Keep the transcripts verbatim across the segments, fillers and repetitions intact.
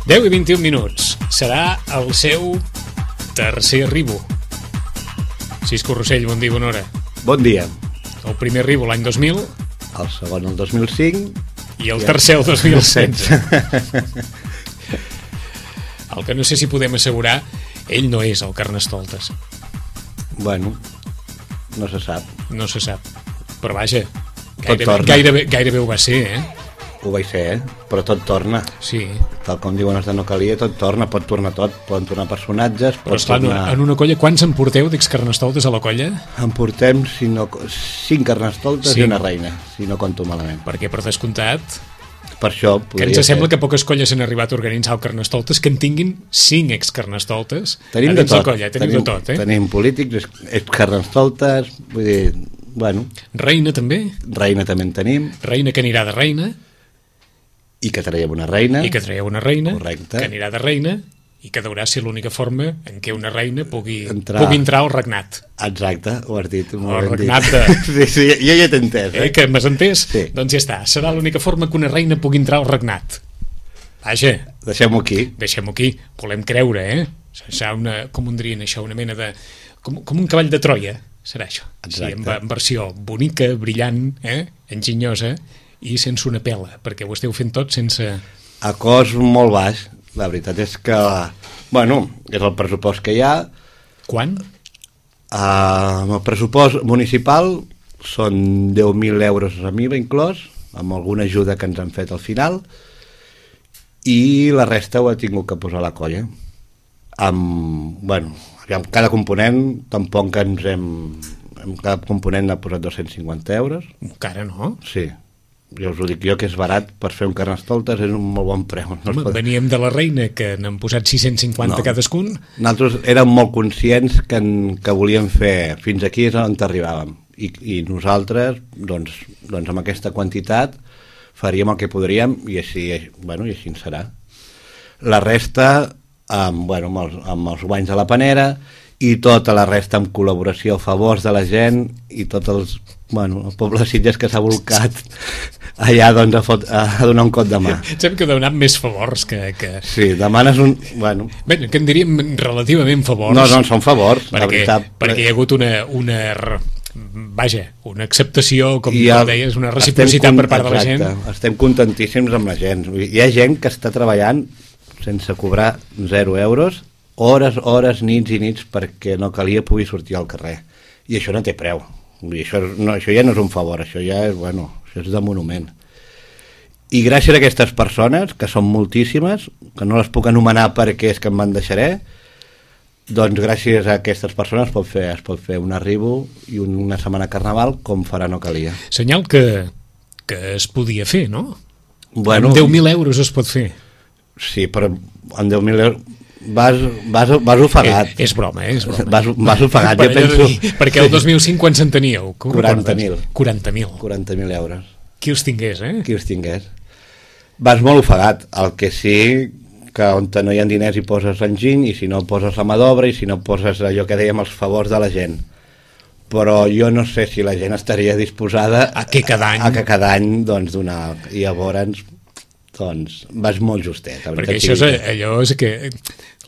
deu i vint-i-un minuts. Serà el seu tercer arribo. Cisco Rossell, bon dia, bona hora. Bon dia. El primer arribo l'any dos mil. El segon el dos mil cinc. I el tercer el dos mil setze. El que no sé si podem assegurar, ell no és el Carnestoltes. Bueno, no se sap. No se sap. Però vaja, gairebé, gairebé, gairebé ho va ser, eh? Ho vaig ser, eh? Però tot torna. Sí. Tal com diuen els de No Calia, tot torna, pot tornar tot. Poden tornar personatges, pot Però esclar, tornar... en una colla, quants en porteu d'ex-Carnestoltes a la colla? En portem si no... cinc Carnestoltes sí. I una reina, si no conto malament. Perquè, per descomptat... Per això... Que ens sembla ser... que poques colles han arribat a organitzar el Carnestoltes que en tinguin cinc ex-Carnestoltes. Tenim de tot. Colla. Tenim, tenim de tot, eh? Tenim polítics, ex-Carnestoltes, vull dir... Bueno... Reina, també? Reina també en tenim. Reina que anirà de reina... I que traiem una reina. I que traiem una reina. Correcte. Que anirà de reina i que deurà ser l'única forma en què una reina pugui entrar, pugui entrar al regnat. Exacte, ho has dit. O al regnat de... Sí, sí, jo ja t'he entès. Eh? eh? Que m'has entès? Sí. Doncs ja està, serà l'única forma que una reina pugui entrar al regnat. Vaja. Deixem-ho aquí. Deixem-ho aquí. Volem creure, eh? Serà una, com ho dirien això, una mena de... Com, com un cavall de Troia, serà això. Exacte. Sí, en, en versió bonica, brillant, eh? Enginyosa, i sense una pela, perquè ho esteu fent tot sense... A cost molt baix, la veritat és que, bueno, és el pressupost que hi ha. Quan? Uh, el pressupost municipal són deu mil euros a mi, inclòs, amb alguna ajuda que ens han fet al final, i la resta ho ha tingut que posar la colla. Amb, bueno, amb cada component, tampoc que ens hem... Amb cada component ha posat dos-cents cinquanta euros. Encara no? Sí. Jo us ho dic jo, que és barat per fer un Carnestoltes, és un molt bon preu. No Home, pot... veníem de la reina, que n'han posat sis-cents cinquanta no. cadascun. Nosaltres érem molt conscients que, en, que volíem fer fins aquí és on arribàvem. I, i nosaltres, doncs, doncs amb aquesta quantitat faríem el que podríem i així, bueno, i així en serà. La resta, amb, bueno, amb, els, amb els guanys de la panera i tota la resta amb col·laboració a favors de la gent i tots els, bueno, el poble de Sitges que s'ha volcat allà doncs, a, fot, a donar un cop de mà. Sembla que demanat més favors que, que... Sí, demanes un... Bueno, Bé, que en diríem relativament favors. No, no, són favors, perquè, la veritat. Perquè hi ha hagut una... una vaja, una acceptació, com ha, deies, una reciprocitat per part exacte, de la gent. Estem contentíssims amb la gent. Hi ha gent que està treballant sense cobrar zero euros, hores, hores, nits i nits, perquè No Calia pugui sortir al carrer. I això no té preu. I això, no, això ja no és un favor, això ja és, bueno, això és de monument. I gràcies a aquestes persones, que són moltíssimes, que no les puc anomenar perquè és que em van deixaré, doncs gràcies a aquestes persones es pot fer, es pot fer un arribo i una setmana carnaval com farà No Calia. Senyal que, que es podia fer, no? Bueno, amb deu mil euros es pot fer. Sí, però amb deu mil euros vas, vas, vas ofegat. És, és broma, eh? És broma. Vas, vas ofegat, jo penso... Dir, perquè el dos mil cinc quan se'n teníeu? quaranta mil. quaranta mil. quaranta mil euros. Qui els tingués, eh? Qui els tingués. Vas molt ofegat, el que sí que on no hi ha diners hi poses enginy, i si no poses la mà d'obra, i si no poses allò que dèiem els favors de la gent. Però jo no sé si la gent estaria disposada a que cada any, a que cada any doncs, donar, i llavors doncs vas molt justet. Perquè això és allò és que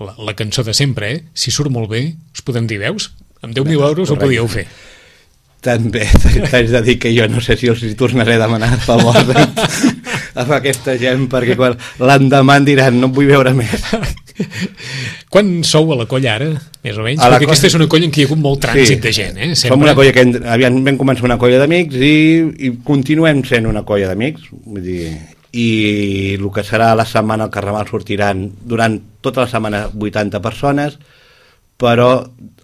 la, la cançó de sempre, eh? Si surt molt bé, us podem dir, veus? Amb deu mil euros ho podíeu fer. També t'haig de dir que jo no sé si els tornaré a demanar a favor de, a aquesta gent, perquè quan l'endemà diran no vull veure més. Quan sou a la colla ara, més o menys? A perquè aquesta és una colla en què hi ha hagut molt trànsit sí, de gent, eh? Sempre. Som una colla que aviam vam començar una colla d'amics i, i continuem sent una colla d'amics, vull dir, i el que serà la setmana al Carnaval sortiran durant tota la setmana vuitanta persones, però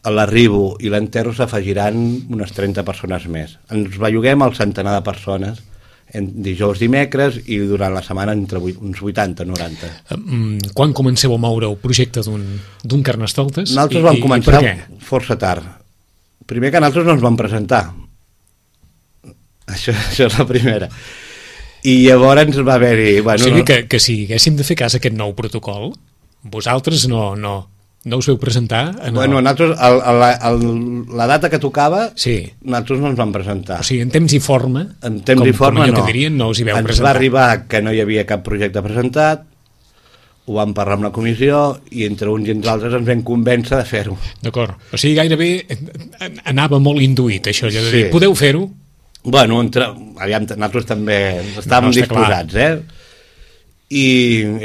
a l'arribo i l'enterro s'afegiran unes trenta persones més. Ens belluguem al centenar de persones en dijous, dimecres, i durant la setmana entre uns vuitanta noranta. Quan comenceu a moure el projecte d'un Carnestoltes? Nosaltres vam començar força tard. Primer que nosaltres no ens vam presentar. Això, això és la primera. I llavors va haver-hi... Bueno, o sigui que, que si haguéssim de fer cas a aquest nou protocol, vosaltres no, no, no us veu presentar? En bueno, el... nosaltres, el, el, el, la data que tocava, sí. Nosaltres no ens vam presentar. O sigui, en temps i forma, en temps com, i forma com allò no. que dirien, no us hi veu ens presentar. Ens va arribar que no hi havia cap projecte presentat, ho vam parlar amb la comissió i entre uns i entre altres ens vam convèncer de fer-ho. D'acord. O sigui, gairebé anava molt induït, això, allò de dir, sí. Podeu fer-ho? Bueno, entre, aviam, nosaltres també estàvem no, disposats, clar. eh? I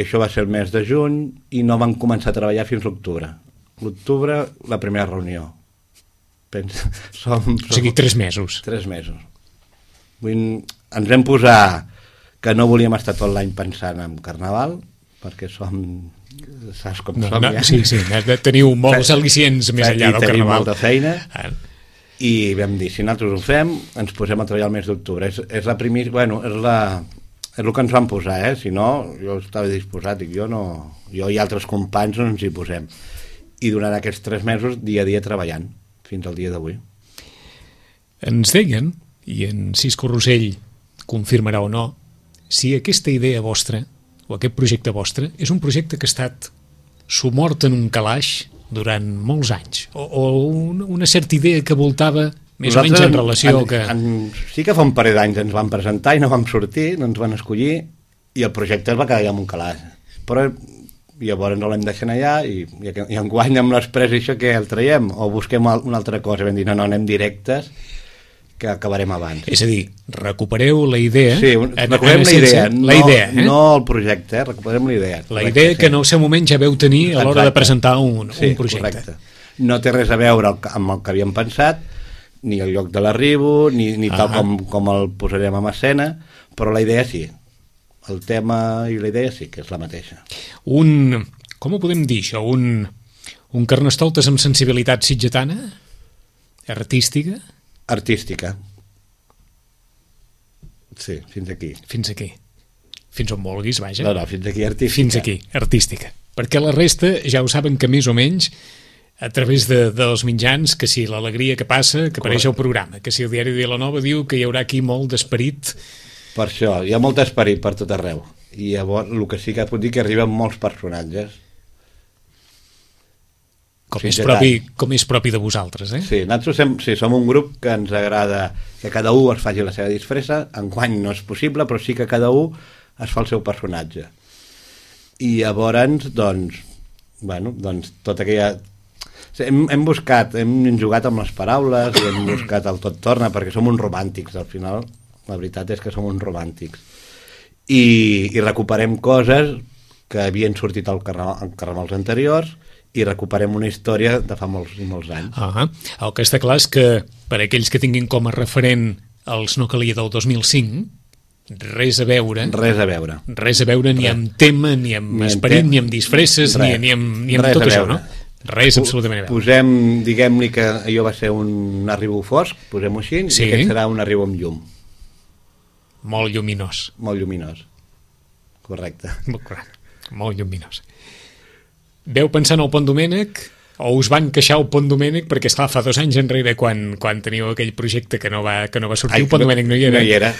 això va ser el mes de juny i no vam començar a treballar fins l'octubre. L'octubre, la primera reunió. Pensa, som, som, o sigui, tres mesos. Tres mesos. Vull, ens vam posar que no volíem estar tot l'any pensant en Carnaval, perquè som, saps com no, som no, ja. Sí, sí, teniu molts al·licients més enllà del Carnaval. Tenim molta feina, ah. i vam dir, si nosaltres ho fem, ens posem a treballar el mes d'octubre. És, és la primera, bueno, és la... És el que ens van posar, eh? Si no, jo estava disposat, dic, jo no... Jo i altres companys no ens hi posem. I durant aquests tres mesos, dia a dia treballant, fins al dia d'avui. Ens deien, i en Cisco Rosell confirmarà o no, si aquesta idea vostra, o aquest projecte vostre, és un projecte que ha estat sumort en un calaix durant molts anys, o, o una certa idea que voltava més Nosaltres o menys en relació en, que... En, sí que fa un parell d'anys ens van presentar i no vam sortir, no ens van escollir, i el projecte es va quedar allà en un calaix. Però llavors no l'hem deixat allà i, i, i enguany amb l'express això que el traiem o busquem una altra cosa. Vam dir, no, no, anem directes, que acabarem abans. És a dir, recupereu la idea... Sí, recuperem la idea, no, la idea eh? no el projecte, eh? Recuperem la idea. La correcte, idea que sí. En el seu moment ja veu tenir a l'hora de presentar un, sí, un projecte. Correcte. No té res a veure amb el que havíem pensat, ni el lloc de l'arribo, ni, ni tal com, com el posarem en escena, però la idea sí. El tema i la idea sí que és la mateixa. Un, com ho podem dir això? Un, un Carnestoltes amb sensibilitat sitgetana? Artística? Artística. Sí, fins aquí. Fins aquí. Fins on vulguis, vaja. No, no, fins aquí artística. Fins aquí, artística. Perquè la resta ja ho saben que més o menys a través de, dels mitjans, que si l'alegria que passa, que apareix al programa, que si el diari de la Nova diu que hi haurà aquí molt d'esperit. Per això, hi ha molt esperit per tot arreu. I llavors el que sí que puc dir que arriben molts personatges. Com és, propi, com és propi de vosaltres, eh? Sí, nosaltres sem, sí, som un grup que ens agrada que cada un es faci la seva disfressa. Enguany no és possible, però sí que cada un es fa el seu personatge. I llavors, doncs, bueno, doncs tota aquella... Hem, hem buscat, hem jugat amb les paraules i hem buscat el tot torna, perquè som uns romàntics, al final. La veritat és que som uns romàntics. I, i recuperem coses que havien sortit al carnaval, en carnavals anteriors i recuperem una història de fa molts i molts anys. Ah, el que està clar és que per aquells que tinguin com a referent els No calia del dos mil cinc, res a veure. Res a veure. Res a veure ni amb tema, ni amb ni esperit, ni amb disfresses, ni, ni amb, ni amb tot això, no? Res absolutament a veure. Posem, diguem-li que allò va ser un arribo fosc, posem-ho així, sí. I aquest serà un arribo amb llum. Molt lluminós. Molt lluminós. Correcte. Molt lluminós. Veu pensar en el Pont Domènec o us van queixar el Pont Domènec perquè, esclar, fa dos anys enrere quan, quan teníeu aquell projecte que no va, que no va sortir, Ai, el Pont no, Domènec no hi era. No hi era.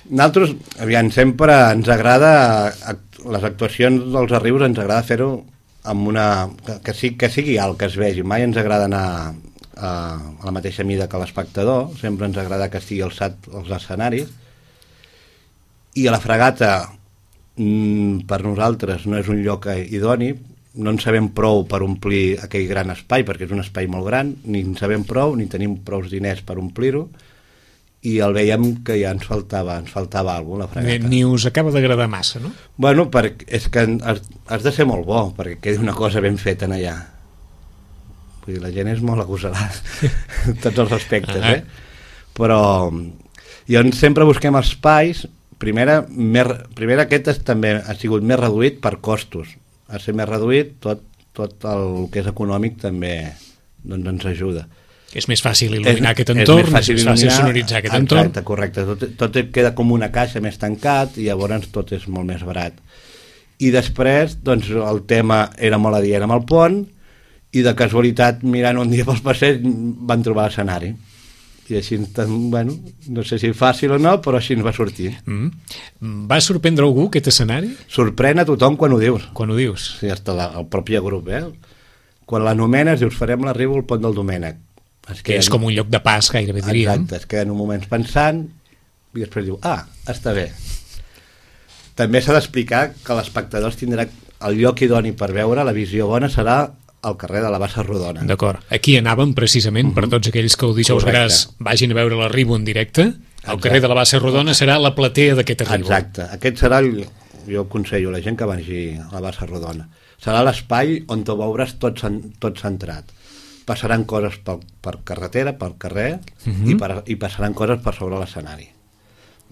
Nosaltres, aviam, sempre ens agrada, les actuacions dels arribos ens agrada fer-ho amb una... Que, que, sigui, que sigui alt, que es vegi. Mai ens agrada anar a, a la mateixa mida que l'espectador, sempre ens agrada que estigui alçat els escenaris. I a la Fragata, mm, per nosaltres, no és un lloc idoni, no en sabem prou per omplir aquell gran espai, perquè és un espai molt gran, ni en sabem prou, ni tenim prou diners per omplir-ho, i el veiem que ja ens faltava, ens faltava alguna cosa, la Fragata. Ni us acaba d'agradar massa, no? Bueno, perquè és que has, has de ser molt bo, perquè quedi una cosa ben feta en allà. Vull dir, la gent és molt agosarada, en tots els aspectes, eh? Però llavors sempre busquem espais. Primera, més, primera aquest és, també ha sigut més reduït per costos. A ser més reduït, tot, tot el que és econòmic també doncs, ens ajuda. És més fàcil il·luminar és, aquest entorn, és més fàcil, és més fàcil sonoritzar aquest exacte, entorn. Exacte, correcte. Tot, tot queda com una caixa més tancat i llavors tot és molt més barat. I després, doncs, el tema era molt adient amb el pont i de casualitat, mirant un dia pels passeigs, van trobar l'escenari. I així, bueno, no sé si fàcil o no, però així ens va sortir. Mm. Va sorprendre algú aquest escenari? Sorprèn a tothom quan ho dius. Quan ho dius? Sí, hasta la, el propi grup, eh? Quan l'anomenes, dius, farem l'arribo al Pont del Domènec. Es que queden, és com un lloc de pas, gairebé diríem. Exacte, es queden un moment pensant i després diu, ah, està bé. També s'ha d'explicar que l'espectador tindrà el lloc idoni per veure la visió bona serà al carrer de la Bassa Rodona. D'acord. Aquí anàvem precisament, uh -huh. per tots aquells que el dijous gras vagin a veure l'Arribo en directe. El Exacte. carrer de la Bassa Rodona serà la platea d'aquest Arribo. Exacte. Aquest serà, el, jo aconsello a la gent que vagi a la Bassa Rodona. Serà l'espai on tu veuràs tot, tot centrat. Passaran coses per, per carretera, pel carrer, uh -huh. i, per, i passaran coses per sobre l'escenari.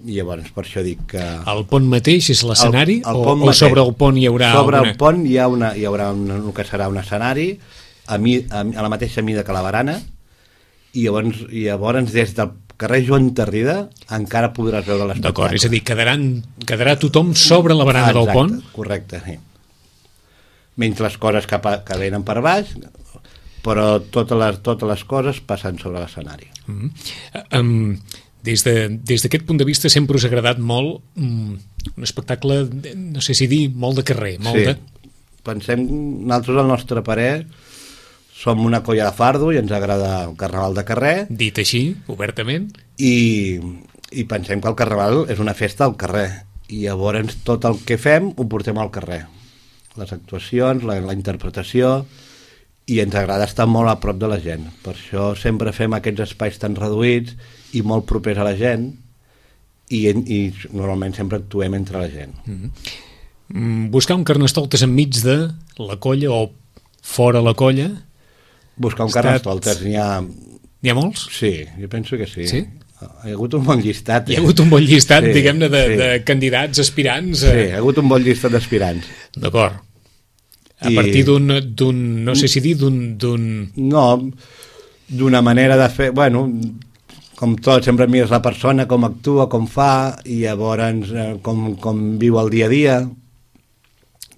I llavors, per això dic que... El pont mateix és l'escenari o, o mateix. sobre el pont hi haurà... Sobre alguna... el pont hi, ha una, hi haurà una, el que serà un escenari a, mi, a, a la mateixa mida que la barana, i llavors, i llavors des del carrer Joan Tarrida encara podràs veure l'espectacle. D'acord, és a dir, quedaran, quedarà tothom sobre la barana Exacte, del pont? Correcte, sí. Menys les coses que, que venen per baix, però totes les, totes les coses passen sobre l'escenari. Mm -hmm. um, Des d'aquest de, punt de vista sempre us ha agradat molt um, un espectacle, no sé si dir, molt de carrer. Molt sí, de... pensem, nosaltres al nostre parer som una colla de fardo i ens agrada el carnaval de carrer. Dit així, obertament. I, i pensem que el carnaval és una festa al carrer i llavors tot el que fem ho portem al carrer. Les actuacions, la, la interpretació, i ens agrada estar molt a prop de la gent. Per això sempre fem aquests espais tan reduïts i molt propers a la gent, i, i normalment sempre actuem entre la gent. Mm-hmm. Buscar un Carnestoltes enmig de la colla o fora la colla? Buscar un estat... Carnestoltes, n'hi ha... N'hi ha molts? Sí, jo penso que sí. Sí? Hi ha hagut un bon llistat. Eh? Hi ha hagut un bon llistat, sí, diguem-ne, de, sí. de candidats, aspirants. Sí, hi ha hagut un bon llistat d'aspirants. D'acord. A I... partir d'un, no sé si dir, d'un... No, d'una manera de fer... Bueno, com tot, sempre mires la persona, com actua, com fa, i llavors eh, com, com viu el dia a dia,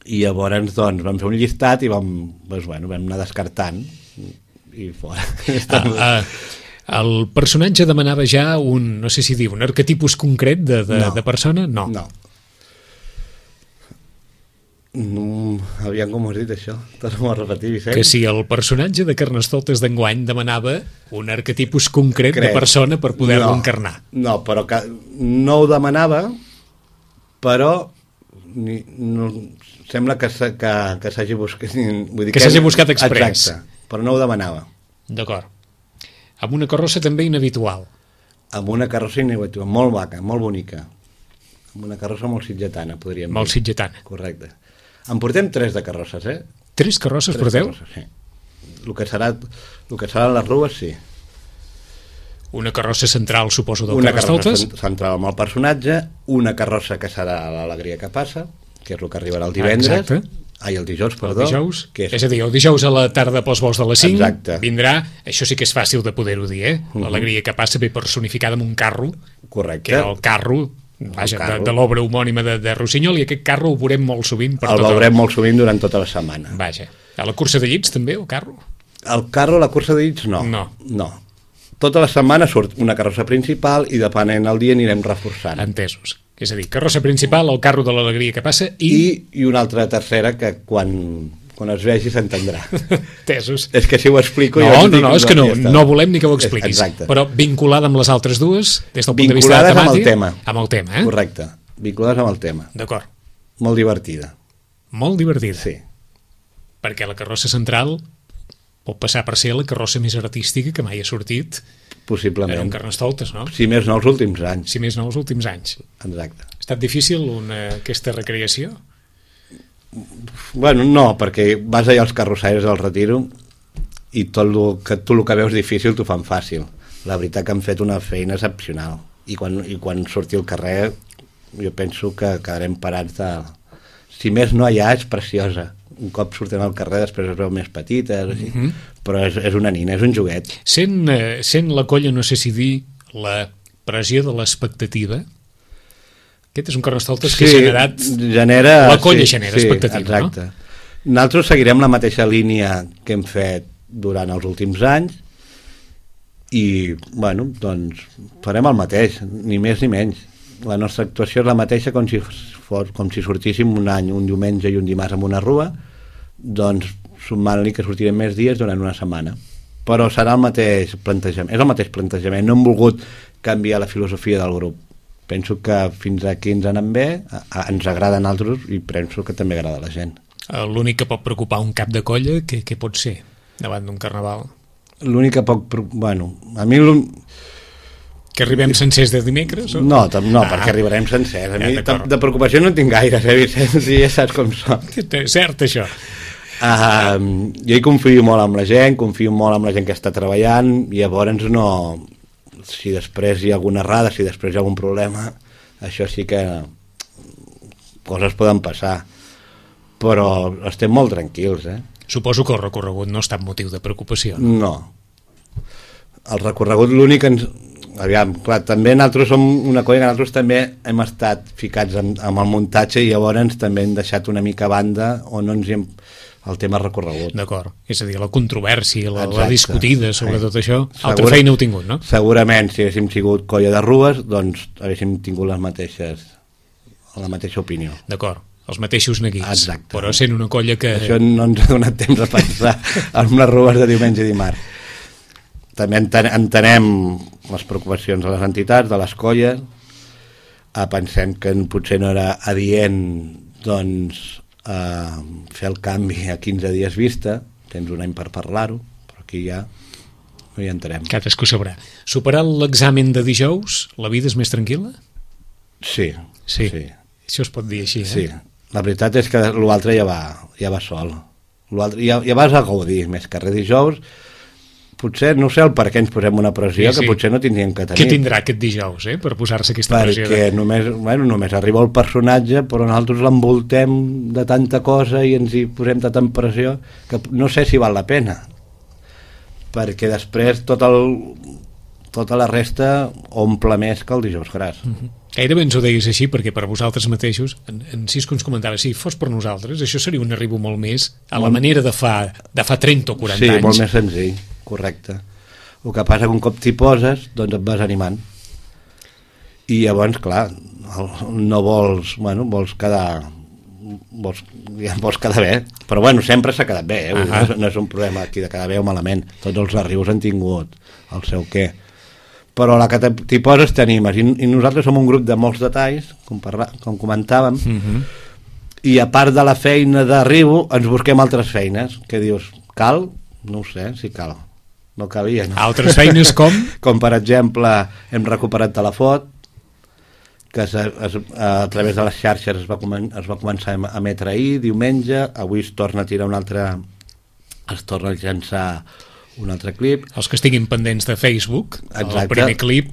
i llavors doncs vam fer un llistat i vam, doncs, bueno, vam anar descartant i fora. Ah, ah, el personatge demanava ja un, no sé si dir, un arquetipus concret de, de, no, de persona? No. No. No, aviam com ho has dit això, torno a repetir, Vicent. Que si el personatge de Carnestoltes d'enguany demanava un arquetipus concret Crec. de persona per poder-lo no, encarnar. No, però que no ho demanava, però ni, no, sembla que, que, que s'hagi buscat... Vull dir que, que s'hagi buscat express. Exacte, però no ho demanava. D'acord. Amb una carrossa també inhabitual. Amb una carrossa inhabitual, molt vaca, molt bonica. Amb una carrossa molt sitgetana, podríem molt dir. Molt sitgetana. Correcte. En portem tres de carrosses, eh? Tres carrosses tres porteu? Carrosses, sí. El que serà, el que seran les rues, sí. Una carrossa central, suposo, del una Carnestoltes? Una carrossa central amb el personatge, una carrossa que serà l'alegria que passa, que és el que arribarà el divendres. Exacte. Ai, el dijous, perdó. El dijous, que és... és a dir, el dijous a la tarda pels vols de les cinc. Exacte. Vindrà, això sí que és fàcil de poder-ho dir, eh? Uh -huh. L'alegria que passa ve personificada amb un carro. Correcte. Que era el carro... Vaja, de, de l'obra homònima de, de Rossinyol, i aquest carro ho veurem molt sovint. Per el tota veurem la... molt sovint durant tota la setmana. Vaja. A la cursa de llits també, el carro? El carro, la cursa de llits, no. No. No. Tota la setmana surt una carrossa principal i depenent el dia anirem reforçant. Entesos. És a dir, carrossa principal, el carro de l'alegria que passa i... I, i una altra tercera que quan... quan es vegi s'entendrà. Tesos. És que si ho explico... No, jo no, no, és que no, no volem ni que ho és, expliquis. exacte. Però vinculada amb les altres dues, des del punt de vista vinculades de temàtica... amb el tema. Amb el tema, eh? Correcte. Vinculades amb el tema. D'acord. Molt divertida. Molt divertida. Sí. Perquè la carrossa central pot passar per ser la carrossa més artística que mai ha sortit. Possiblement. En un Carnestoltes, no? Si més no els últims anys. Si més no els últims anys. Exacte. Ha estat difícil una, aquesta recreació? Bueno, no, perquè vas allà als carrossaires del Retiro i tot el que, tu el que veus difícil t'ho fan fàcil. La veritat que han fet una feina excepcional. I quan, i quan surti al carrer jo penso que quedarem parats de... Si més no allà és preciosa. Un cop surten al carrer després es veu més petita, mm -hmm. però és, és una nina, és un joguet. Sent, eh, sent la colla, no sé si dir, la pressió de l'expectativa... Aquest és un Carnestoltes sí, que ha generat... Genera, la colla sí, genera sí, expectativa, exacte. no? Nosaltres seguirem la mateixa línia que hem fet durant els últims anys i, bueno, doncs farem el mateix, ni més ni menys. La nostra actuació és la mateixa com si, fos, com si sortíssim un any, un diumenge i un dimarts amb una rua, doncs sumant-li que sortirem més dies durant una setmana. Però serà el mateix plantejament, és el mateix plantejament, no hem volgut canviar la filosofia del grup. Penso que fins aquí ens anem bé, a, a, ens agrada a nosaltres i penso que també agrada a la gent. L'únic que pot preocupar un cap de colla, què, què pot ser davant d'un carnaval? L'únic que pot... Bueno, a mi... Que arribem sencers de dimecres? O? No, no ah. perquè arribarem sencers. A mi ja, de preocupació no en tinc gaire, eh, Vicenç? Ja saps com són. Cert, això. Uh, jo hi confio molt amb la gent, confio molt amb la gent que està treballant, i llavors no... Si després hi ha alguna errada, si després hi ha algun problema, això sí que coses poden passar. Però estem molt tranquils, eh? Suposo que el recorregut no està en motiu de preocupació. No. El recorregut l'únic ens... Aviam, clar, també nosaltres som una colla que nosaltres també hem estat ficats amb, amb el muntatge i llavors també hem deixat una mica a banda o no ens hem... el tema recorregut. D'acord, és a dir, la controvèrsia, la, la discutida sobre sí. tot això, Segur, altra feina heu tingut, no? Segurament, si haguéssim sigut colla de rues, doncs haguéssim tingut les mateixes, la mateixa opinió. D'acord, els mateixos neguits. Exacte. Però sent una colla que... Això no ens ha donat temps a pensar en les rues de diumenge i dimarts. També entenem les preocupacions de les entitats, de les colles, pensem que potser no era adient doncs, eh, fer el canvi a quinze dies vista, tens un any per parlar-ho, però aquí ja no hi entrarem. Cadascú sabrà. Superat l'examen de dijous, la vida és més tranquil·la? Sí. Sí, sí. Això es pot dir així, eh? Sí, la veritat és que l'altre ja va, ja va sol. Ja, ja vas a gaudir, més que res dijous. Potser, no sé el per què ens posem una pressió, sí, sí. que potser no tindríem que tenir. Què tindrà aquest dijous, eh, per posar-se aquesta Perquè pressió? Perquè només, bueno, només arriba el personatge, però nosaltres l'envoltem de tanta cosa i ens hi posem de tanta pressió que no sé si val la pena. Perquè després tot el, tota la resta omple més que el dijous gras. Uh-huh. Gairebé ens ho deies així, perquè per vosaltres mateixos, en, en Cisco ens comentava, si fos per nosaltres, això seria un arribo molt més a la manera de fa, de fa trenta o quaranta sí, anys. Sí, molt més senzill. Correcte. El que passa que un cop t'hi poses, doncs et vas animant. I llavors, clar, no vols, bueno, vols quedar... Vols, ja vols quedar bé. Però bueno, sempre s'ha quedat bé, eh? Uh -huh. no, no és un problema aquí de quedar bé o malament. Tots els arribos han tingut el seu què. Però a la que t'hi poses t'animes. I, I nosaltres som un grup de molts detalls, com, parla, com comentàvem, uh -huh. i a part de la feina d'arribo, ens busquem altres feines. Que dius, cal? No ho sé, si cal. No calia, no? Altres feines com? Com, per exemple, hem recuperat Telefot, que es, es, a través de les xarxes es va, es va començar a emetre ahir, diumenge, avui es torna a tirar un altre... es torna a llançar un altre clip. Els que estiguin pendents de Facebook, exacte. El primer clip,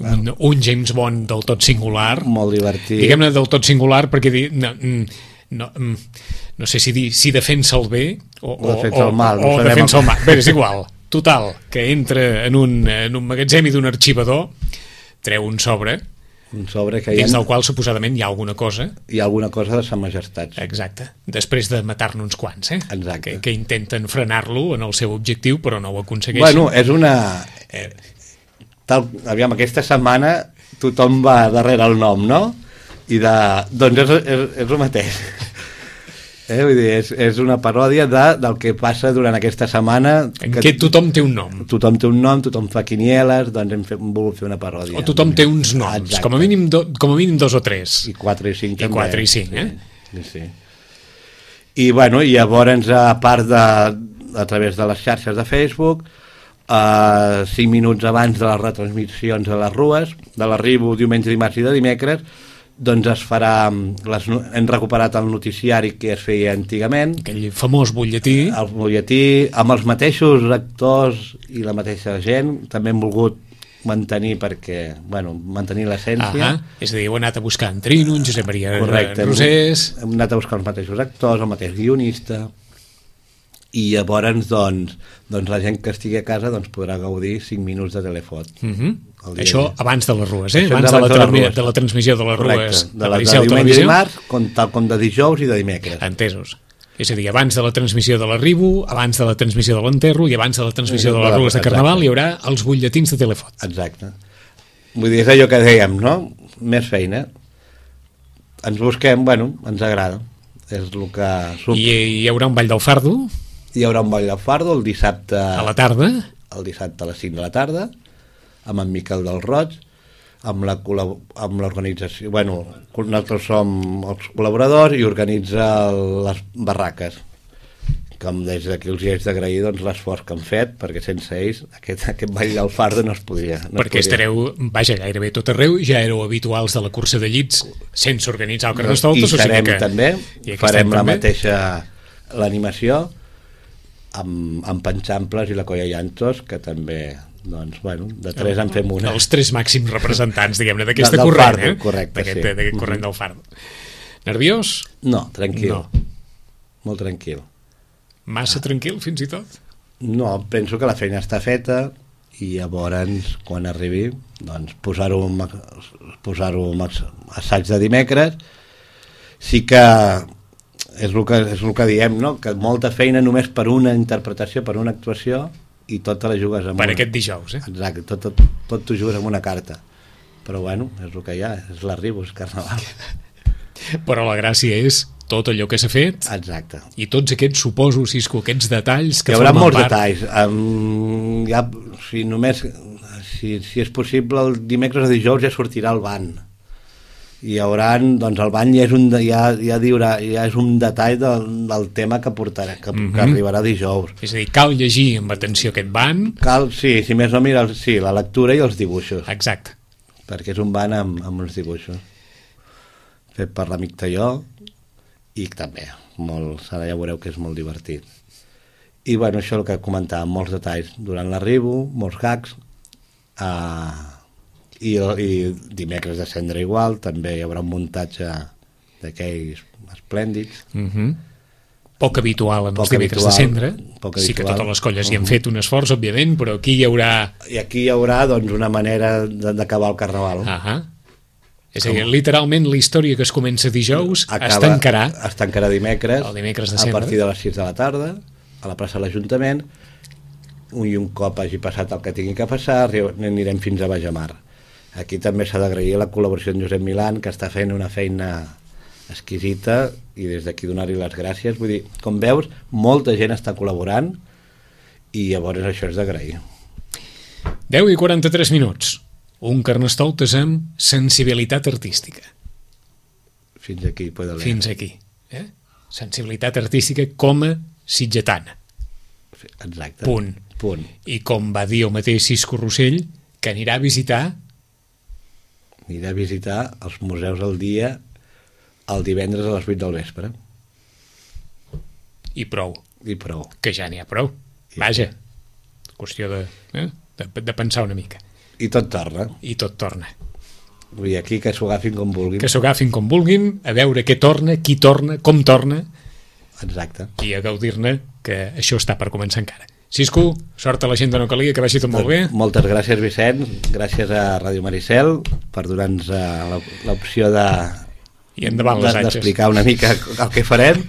un, un James Bond del tot singular. Molt divertit. Diguem-ne del tot singular perquè... No, no, no sé si dir si defensa el bé o, o defensa o, el mal, o, o defensa el mal. Bé, és igual. Total, que entra en un, en un magatzem i d'un arxivador, treu un sobre, un sobre que dins ha... del qual suposadament hi ha alguna cosa. Hi ha alguna cosa de Sa Majestat. Exacte. Després de matar-ne uns quants, eh? Exacte. Que, que intenten frenar-lo en el seu objectiu, però no ho aconsegueixen. Bueno, és una... Eh, tal... Aviam, aquesta setmana tothom va darrere el nom, no? I de... Doncs és, és, és el mateix. Eh, vull dir, és, és una paròdia de, del que passa durant aquesta setmana. En que, què tothom té un nom. Tothom té un nom, tothom fa quinieles, doncs hem, fet, hem volgut fer una paròdia. O tothom té uns noms, com a, mínim do, com a mínim dos o tres. I quatre i cinc I també. I quatre i cinc, eh? Sí, sí. I, bueno, i llavors, a part de, a través de les xarxes de Facebook, eh, cinc minuts abans de les retransmissions de les rues, de l'arribo diumenge, dimarts i de dimecres, doncs es farà, les, hem recuperat el noticiari que es feia antigament, aquell famós butlletí, el butlletí amb els mateixos actors i la mateixa gent, també hem volgut mantenir perquè, bueno, mantenir l'essència. Ah, és a dir, heu anat a buscar en Trino, en Josep Maria Correcte, Rosés... Hem, hem anat a buscar els mateixos actors, el mateix guionista, i llavors doncs, doncs la gent que estigui a casa doncs, podrà gaudir cinc minuts de Telefot. Uh -huh. Això abans de les rues, eh? Això abans, abans de, la de, les de la transmissió de les Correcte. rues. De la de, de diumenge i dimarts, com, tal com de dijous i de dimecres. Entesos. És a dir, abans de la transmissió de l'arribo, abans de la transmissió de l'enterro i abans de la transmissió de les rues de Carnaval hi haurà els butlletins de Telefot. Exacte. Vull dir, és allò que dèiem, no? Més feina. Ens busquem, bueno, ens agrada. És el que... Sub... I hi haurà un ball del fardo? Hi haurà un ball del fardo el dissabte... A la tarda? El dissabte a les cinc de la tarda, amb en Miquel del Roig. amb la col·lab- amb l'organització, bueno, nosaltres som els col·laboradors i organitza les barraques, com des d'aquí els hi haig d'agrair doncs, l'esforç que han fet, perquè sense ells aquest, aquest ball del fardo no es podria. No perquè es podria. estareu, vaja, gairebé tot arreu, ja éreu habituals de la cursa de llits sense organitzar el Carnestoltes. I serem o sigui que, també, i farem la també. mateixa l'animació amb, amb Panxamples i la Colla Llantos, que també, doncs, bueno, de tres en fem una. Els tres màxims representants, diguem-ne, d'aquesta del corrent, fardo, eh? correcte, D'aquest, sí. d'aquest corrent del fardo. Nerviós? No, tranquil. No. Molt tranquil. Massa tranquil, fins i tot? No, penso que la feina està feta i llavors, quan arribi, doncs, posar-ho en, posar-ho en assaig de dimecres. Sí que és el que, és el que diem, no? Que molta feina només per una interpretació, per una actuació, i tota la jugues amb per una. aquest dijous, eh? Exacte, tot, tot, tot t'ho jugues amb una carta. Però bueno, és el que hi ha, és l'arribo, és carnaval. Però la gràcia és tot allò que s'ha fet. Exacte. I tots aquests, suposo, Cisco, aquests detalls que hi haurà formen molts part. detalls. Um, ja, si només si, si és possible, el dimecres o dijous ja sortirà el ban. I hi haurà, doncs el ban ja és un, ja, ja diurà, ja és un detall del, del tema que portarà, que, mm-hmm. que arribarà dijous. És a dir, cal llegir amb atenció aquest ban. Cal, sí, si més no mira, sí, la lectura i els dibuixos. Exacte. Perquè és un ban amb, amb uns dibuixos. Fet per l'amic Talló, i també, molt, ara ja veureu que és molt divertit. I bueno, això és el que comentàvem, molts detalls durant l'arribo, molts gags, uh, i, i dimecres de cendra igual, també hi haurà un muntatge d'aquells esplèndids. Mm-hmm. Poc habitual en poc els dimecres habitual, de cendra, poc sí que habitual. totes les colles hi han Uh-huh. fet un esforç, òbviament, però aquí hi haurà... I aquí hi haurà doncs, una manera de- d'acabar el carnaval. Ah, és a dir, literalment la història que es comença dijous Acaba, es tancarà es tancarà dimecres, el dimecres de a cendra. partir de les sis de la tarda a la plaça de l'Ajuntament, i un cop hagi passat el que tingui que passar anirem fins a Bajamar. Aquí també s'ha d'agrair la col·laboració en Josep Milán, que està fent una feina exquisita, i des d'aquí donar-li les gràcies. Vull dir, com veus, molta gent està col·laborant i llavors això és d'agrair. deu i quaranta-tres minuts. Un Carnestoltes amb sensibilitat artística. Fins aquí puede leer. Fins aquí. Eh? Sensibilitat artística com a sitgetana. Exacte. Punt. Punt. I com va dir el mateix Cisco Rossell, que anirà a visitar... Anirà a visitar els museus al dia el divendres a les vuit del vespre. I prou. I prou. Que ja n'hi ha prou. Vaja. Qüestió de, eh? de, de pensar una mica. I tot torna. I tot torna. Vull dir, aquí que s'ho agafin com vulguin. Que s'ho agafin com vulguin, a veure què torna, qui torna, com torna, Exacte. i a gaudir-ne, que això està per començar encara. Cisco, sort a la gent de No Calia, que vagi tot molt bé. Moltes gràcies, Vicent. Gràcies a Ràdio Maricel per donar-nos uh, l'opció de, I endavant les de, atxes. d'explicar una mica el que farem,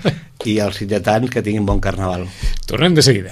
i els sitgetans que tinguin bon carnaval. Tornem de seguida.